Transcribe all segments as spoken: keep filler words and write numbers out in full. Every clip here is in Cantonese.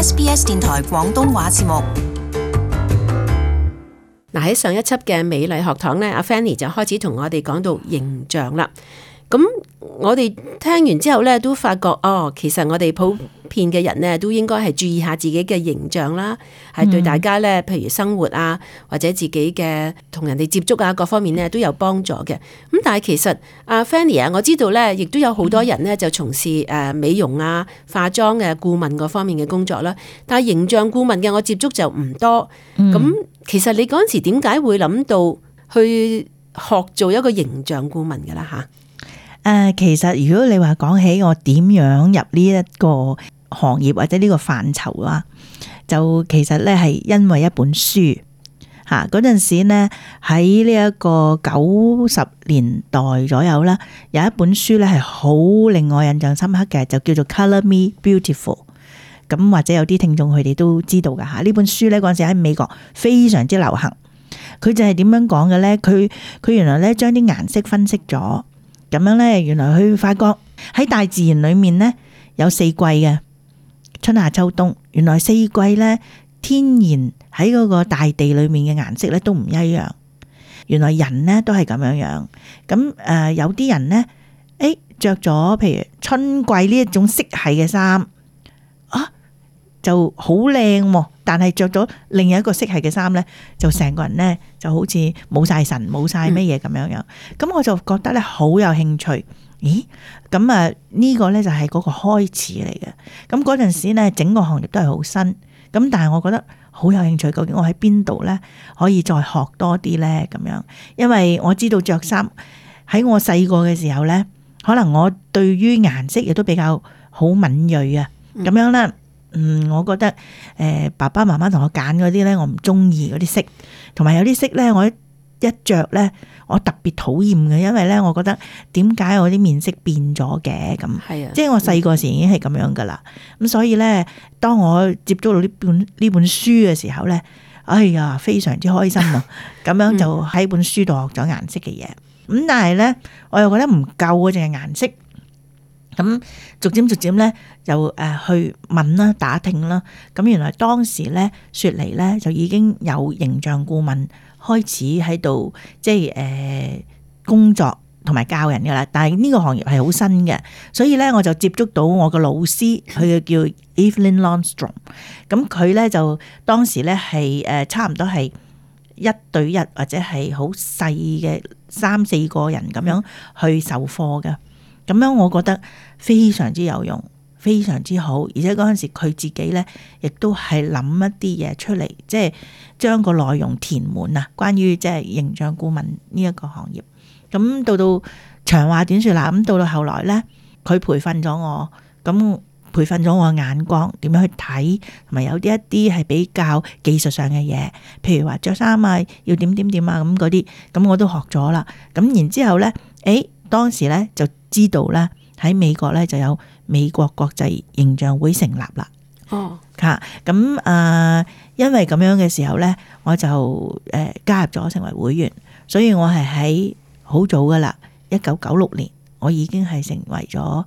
S B S 電台廣東話節目。嗱，喺上一輯嘅美麗學堂咧，阿 Fanny 就開始同我哋講到形象啦。咁我哋聽完之後咧，都發覺哦，其實我哋普遍嘅人咧，都應該係注意下自己嘅形象啦，係、嗯、對大家咧，譬如生活啊，或者自己嘅同人哋接觸啊，各方面咧都有幫助嘅。咁但係其實阿 Fanny 啊，我知道咧，亦都有好多人咧就從事誒美容啊、化妝嘅顧問嗰方面嘅工作啦。但係形象顧問嘅我接觸就唔多。咁、嗯、其實你嗰陣時點解會諗到去學做一個形象顧問嘅啦？吓？誒、呃，其實如果你話講起我點樣入呢一個行業或者呢個範疇啊，就其實咧係因為一本書吓，嗰陣時呢喺呢一個九十年代左右啦，有一本書咧係好令我印象深刻嘅，就叫做 Color Me Beautiful。咁或者有啲聽眾佢哋都知道噶吓，呢本書咧嗰陣時喺美國非常之流行。佢就係點樣講嘅咧？佢佢原來咧將啲顏色分析咗。咁樣咧，原來佢發覺喺大自然裏面咧有四季嘅春夏秋冬。原來四季咧天然喺嗰個大地裏面嘅顏色咧都唔一樣。原來人咧都係咁樣樣。咁誒、呃，有啲人咧，誒着咗譬如春季呢一種色系嘅衫啊，就好靚。但係着咗另一個色系嘅衫咧，就成個人咧就好似冇晒神冇晒乜嘢咁樣樣。咁、嗯、我就覺得咧好有興趣。咦？咁啊呢個咧就係嗰個開始嚟嘅。咁嗰陣時咧整個行業都係好新。咁但係我覺得好有興趣，究竟我喺邊度咧可以再學多啲咧？咁樣，因為我知道着衫喺我細個嘅時候咧，可能我對於顏色亦都比較好敏銳啊。咁樣咧。嗯，我覺得誒、呃，爸爸媽媽同我揀嗰啲咧，我唔中意嗰啲色，同埋有啲色咧，我一一着咧，我特別討厭嘅，因為咧，我覺得點解我啲面色變咗嘅咁？係啊，即係我細個時已經係咁樣噶啦。咁所以咧，當我接觸到呢本呢本書嘅時候咧，哎呀，非常之開心啊！咁樣就喺本書度學咗顏色嘅嘢。咁但係咧，我又覺得唔夠啊，淨係顏色。咁逐漸逐漸咧就誒去問啦、打聽啦。咁原來當時咧雪梨咧就已經有形象顧問開始喺度即係誒、呃、工作同埋教人噶啦。但係呢個行業係好新嘅，所以咧我就接觸到我個老師，佢叫 Evelyn Longstrom。咁佢咧就當時咧係誒差唔多係一對一或者係好細嘅三四個人咁樣去授課嘅。咁樣我覺得非常之有用，非常之好，而且嗰陣時佢自己咧，亦都係諗一啲嘢出嚟，即係將個內容填滿啊。關於即係形象顧問呢一個行業，咁到到長話短說啦，咁到到後來咧，佢培訓咗我，咁培訓咗我眼光點樣去睇，同埋有啲一啲係比較技術上嘅嘢，譬如話着衫啊，要點點點啊咁嗰啲，咁我都學咗啦。咁然之後咧，誒當時咧就知道咧喺美國咧就有美國國際形象會成立啦。哦，吓咁啊，因為咁樣嘅時候咧，我就誒、呃、加入咗成為會員，所以我係喺好早噶啦，一九九六年我已經係成為咗誒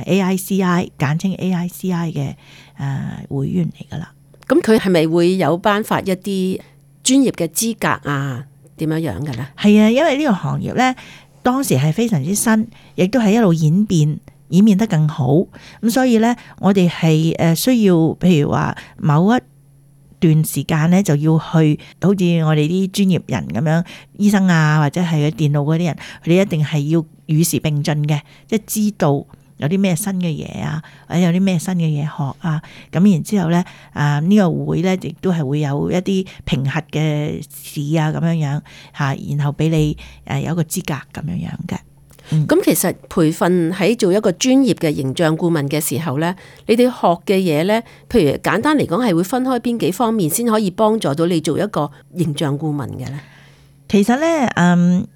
A I C I 簡稱 A I C I 嘅誒會員嚟噶啦。咁佢係咪會有頒發一啲專業嘅資格啊？點樣樣嘅咧？係啊，因為呢個行業咧。當時係非常之新，亦都係一路演變，演變得更好。咁所以咧，我哋係誒需要，譬如話某一段時間咧，就要去，好似我哋啲專業人咁樣，醫生啊，或者係電腦嗰啲人，佢哋一定係要與時並進嘅，即係知道有啲咩新嘅嘢啊，或者有啲咩新嘅嘢學啊。咁然之後咧，啊、這、呢個會咧亦都係會有一啲評核嘅試啊，咁樣樣嚇，然後俾你誒有一個資格咁樣樣嘅。咁、嗯、其實培訓喺做一個專業嘅形象顧問嘅時候咧，你哋學嘅嘢咧，譬如簡單嚟講係會分開邊幾方面先可以幫助到你做一個形象顧問嘅咧？其實咧，嗯。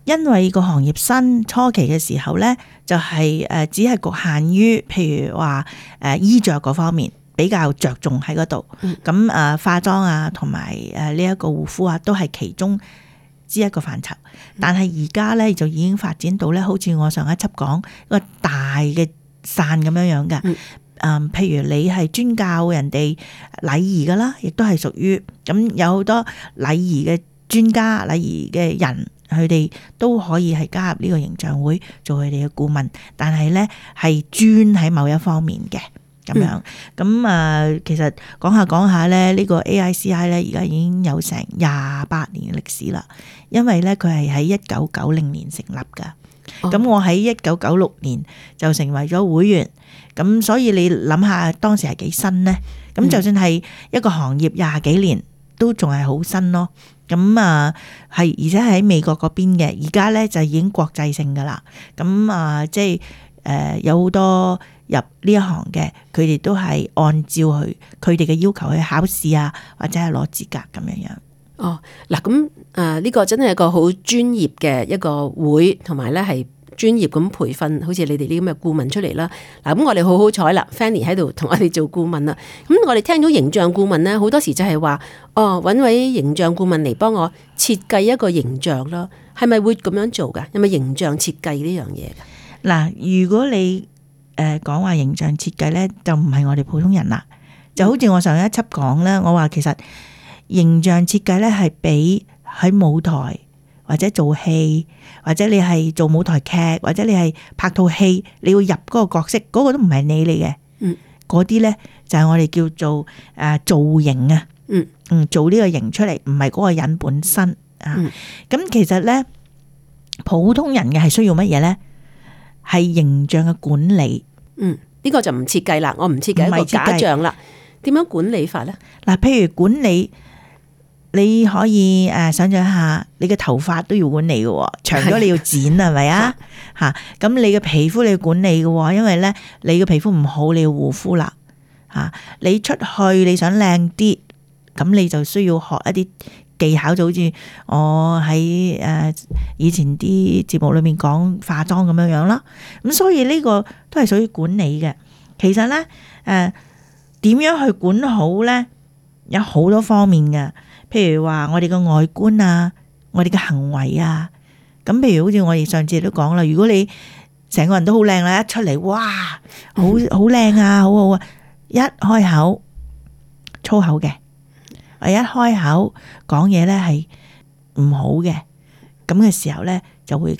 因為個行業新初期嘅時候咧，就係誒只係局限於譬如話誒衣着嗰方面比較着重喺嗰度，咁誒、嗯、化妝啊同埋誒呢一個護膚啊都係其中之一個範疇。但係而家咧就已經發展到咧，好似我上一輯講一個大嘅傘咁樣樣嘅。誒、嗯，譬如你係專教人哋禮儀噶啦，亦都係屬於咁，有好多禮儀嘅專家、禮儀嘅人，佢哋都可以係加入呢個形象會做佢哋嘅顧問，但係咧係專喺某一方面嘅咁樣。咁啊、嗯，其實講下講下咧，呢個 A I C I 咧而家已經有成廿八年嘅歷史啦，因為咧佢係喺一九九零年成立噶。咁、哦、我喺一九九六年就成為咗會員，咁所以你諗下當時係幾新呢？咁就算係一個行業廿幾年都仲係好新咯。咁啊係，而且係喺美國嗰邊嘅，而家咧就已經國際性噶啦。咁啊即係誒、呃、有好多入呢一行嘅，佢哋都係按照佢佢哋嘅要求去考試啊，或者係攞資格咁樣樣。哦，嗱咁誒呢個真係一個好專業嘅一個會，同埋咧係專業咁培訓，好似你哋呢咁嘅顧問出嚟啦。嗱咁我哋好好彩啦 Fanny 喺度同我哋做顧問啦。咁我哋聽到形象顧問咧，好多時就係話哦，揾位形象顧問嚟幫我設計一個形象咯，係咪會咁樣做噶？有冇形象設計呢樣嘢噶？嗱，如果你誒講話形象設計咧，就唔係我哋普通人啦。就好似我上一輯講咧，我話其實形象設計咧係俾喺舞台或者做戲，或者你係做舞台劇，或者你係拍套戲，你要入嗰個角色，嗰個都唔係你嚟嘅。嗯，嗰啲咧就係我哋叫做誒造型啊。嗯嗯，做呢個型出嚟，唔係嗰個人本身啊。咁其實咧，普通人嘅係需要乜嘢咧？係形象嘅管理。嗯，呢個就唔設計啦，我唔設計一個假象啦。點樣管理法咧？嗱，譬如管理。你可以誒想象下，你嘅頭髮都要管理嘅，長咗你要剪係咪啊？吓，咁你嘅皮膚你要管理嘅，因為咧你嘅皮膚唔好，你要護膚啦。吓，你出去你想靚啲，咁你就需要學一啲技巧，就好似我喺誒以前啲節目裏面講化妝咁樣樣啦。咁所以呢個都係屬於管理嘅。其實咧誒點樣去管好咧，有好多方面嘅。譬如話我哋嘅外觀啊，我哋嘅行為啊，咁譬如好似我哋上次都講啦，如果你成個人都好靚啦，一出嚟哇，好好靚啊，好好啊，一開口粗口嘅，我一開口講嘢咧係唔好嘅，咁嘅時候咧就會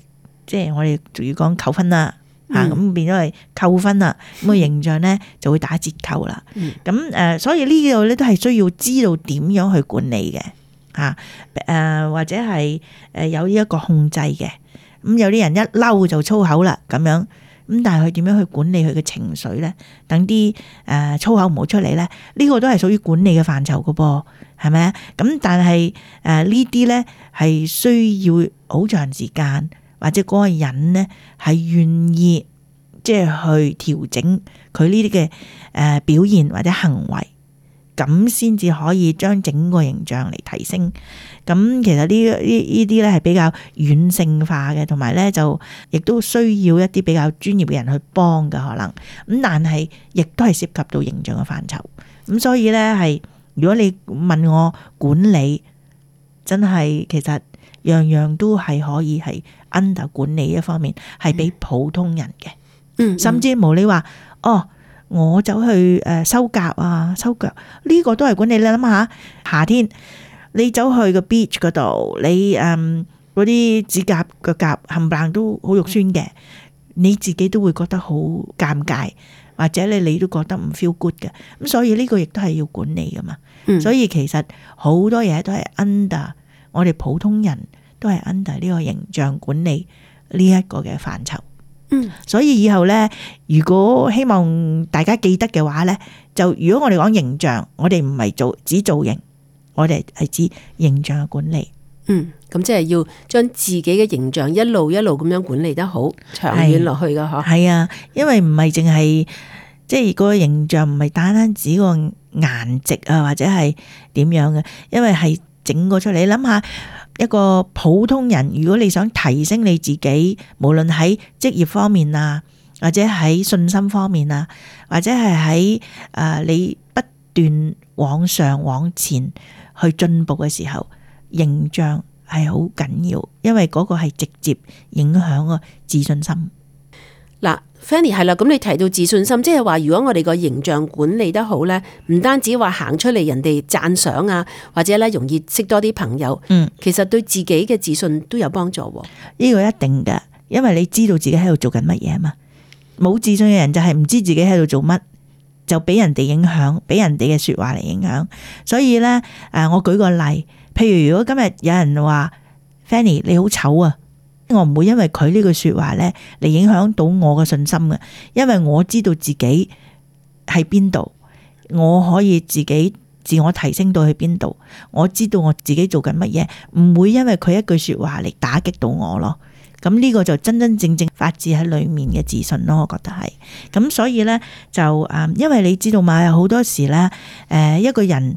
即係我哋仲要講扣分啦。啊，咁變咗係扣分啦，咁個形象咧就會打折扣啦。咁誒、嗯，所以呢度咧都係需要知道點樣去管理嘅，吓誒或者係誒有呢一個控制嘅。咁有啲人一嬲就粗口啦，咁樣咁，但係佢點樣去管理佢嘅情緒咧？等啲誒粗口唔好出嚟咧，呢個都係屬於管理嘅範疇噶噃，係咪啊？咁但係誒呢啲咧係需要好長時間。或者嗰個人呢係願意即係去調整佢呢啲嘅誒表現或者行為，咁先至可以將整個形象嚟提升。咁其實呢呢呢啲咧係比較軟性化嘅，同埋咧就亦都需要一啲比較專業嘅人去幫嘅可能。咁但係亦都係涉及到形象嘅範疇。咁所以咧係如果你問我管理，真係其實樣樣都係可以係 under 管理一方面，係俾普通人嘅。嗯，甚至無你話哦，我走去誒修甲啊，修腳呢個都係管理。你諗下，夏天你走去個 beach 嗰度，你誒嗰啲指甲腳甲冚唪唥都好肉酸嘅，你自己都會覺得好尷尬，或者你你都覺得唔 feel good 嘅。咁所以呢個亦都係要管理噶嘛。嗯，所以其實好多嘢都係 under 我哋普通人。都係 under 呢個形象管理呢一個嘅範疇。嗯，所以以後咧，如果希望大家記得嘅話咧，就如果我哋講形象，我哋唔係做指造型，我哋係指形象嘅管理。嗯，咁即係要將自己嘅形象一路一路咁樣管理得好，長遠落去噶嗬。係啊，因為唔係淨係即係個形象，唔係單單指個顏值啊，或者係點樣嘅，因為係整個出嚟。你諗下。一個普通人，如果你想提升你自己，無論喺職業方面啊，或者喺信心方面啊，或者係喺誒你不斷往上往前去進步嘅時候，形象係好緊要，因為嗰個係直接影響個自信心。嗱，Fanny 係啦，咁你提到自信心，即係話如果我哋個形象管理得好咧，唔單止話行出嚟人哋讚賞啊，或者咧容易識多啲朋友，嗯，其實對自己嘅自信都有幫助。呢個一定嘅，因為你知道自己喺度做緊乜嘢啊嘛。冇自信嘅人就係唔知自己喺度做乜，就俾人哋影響，俾人哋嘅說話嚟影響。所以咧，誒，我舉個例，譬如如果今日有人話 Fanny 你好醜啊。我唔會因為佢呢句說話咧嚟影響到我嘅信心嘅，因為我知道自己喺邊度，我可以自己自我提升到去邊度，我知道我自己做緊乜嘢，唔會因為佢一句說話嚟打擊到我咯。咁呢個就真真正正發自喺裏面嘅自信咯，我覺得係。咁所以咧就誒，因為你知道嘛，有好多時咧，誒，一個人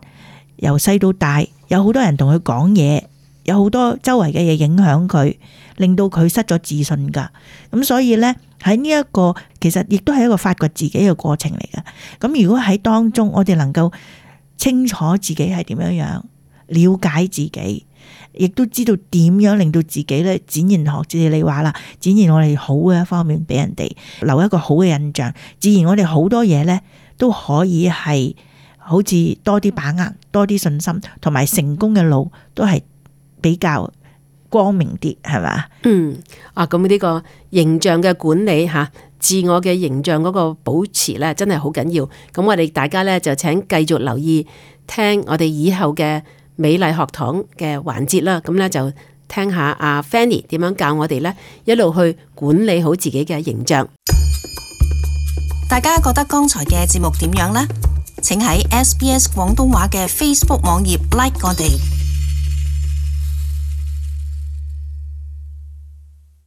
由細到大，有好多人同佢講嘢，有好多周圍嘅嘢影響佢，令到佢失咗自信噶。咁所以呢，喺呢一個其實亦都係一個發掘自己嘅過程嚟嘅。咁如果喺當中我哋能夠清楚自己係點樣樣，了解自己，亦都知道點樣令到自己咧展現，學似你話啦，展現我哋好嘅一方面俾人哋，留一個好嘅印象，自然我哋好多嘢呢都可以係好似多啲把握，多啲信心，同埋成功嘅路都係比較光明啲，係嘛？嗯，啊，咁呢個形象嘅管理吓，自我嘅形象嗰個保持咧，真係好緊要。咁我哋大家咧就請繼續留意聽我哋以後嘅美麗學堂嘅環節啦。咁咧就聽下阿 Fanny 點樣教我哋咧，一路去管理好自己嘅形象。大家覺得剛才嘅節目點樣呢？請喺 S B S 廣東話嘅 Facebook 網頁 like 我哋。